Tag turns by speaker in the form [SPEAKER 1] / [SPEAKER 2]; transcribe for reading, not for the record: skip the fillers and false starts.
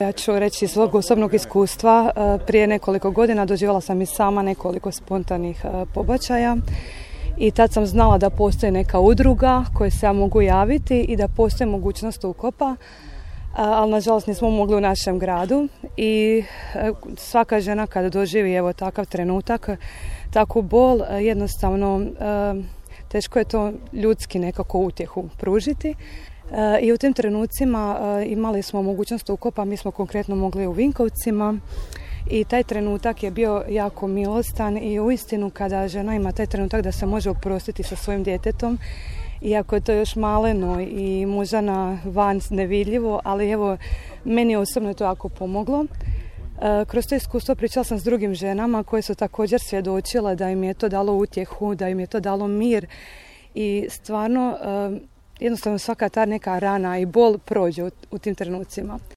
[SPEAKER 1] Ja ću reći iz svog osobnog iskustva, prije nekoliko godina doživjela sam i sama nekoliko spontanih pobačaja i tad sam znala da postoji neka udruga koje se ja mogu javiti i da postoji mogućnost ukopa, ali nažalost nismo mogli u našem gradu i svaka žena kada doživi evo takav trenutak, takvu bol, jednostavno teško je to ljudski nekako utjehu pružiti. I u tim trenucima imali smo mogućnost ukopa, mi smo konkretno mogli u Vinkovcima i taj trenutak je bio jako milostan i uistinu kada žena ima taj trenutak da se može oprostiti sa svojim djetetom, iako je to još maleno i muža van nevidljivo, ali evo meni osobno je to jako pomoglo. Kroz to iskustvo pričala sam s drugim ženama koje su također svjedočile da im je to dalo utjehu, da im je to dalo mir i stvarno jednostavno svaka ta neka rana i bol prođe u tim trenucima.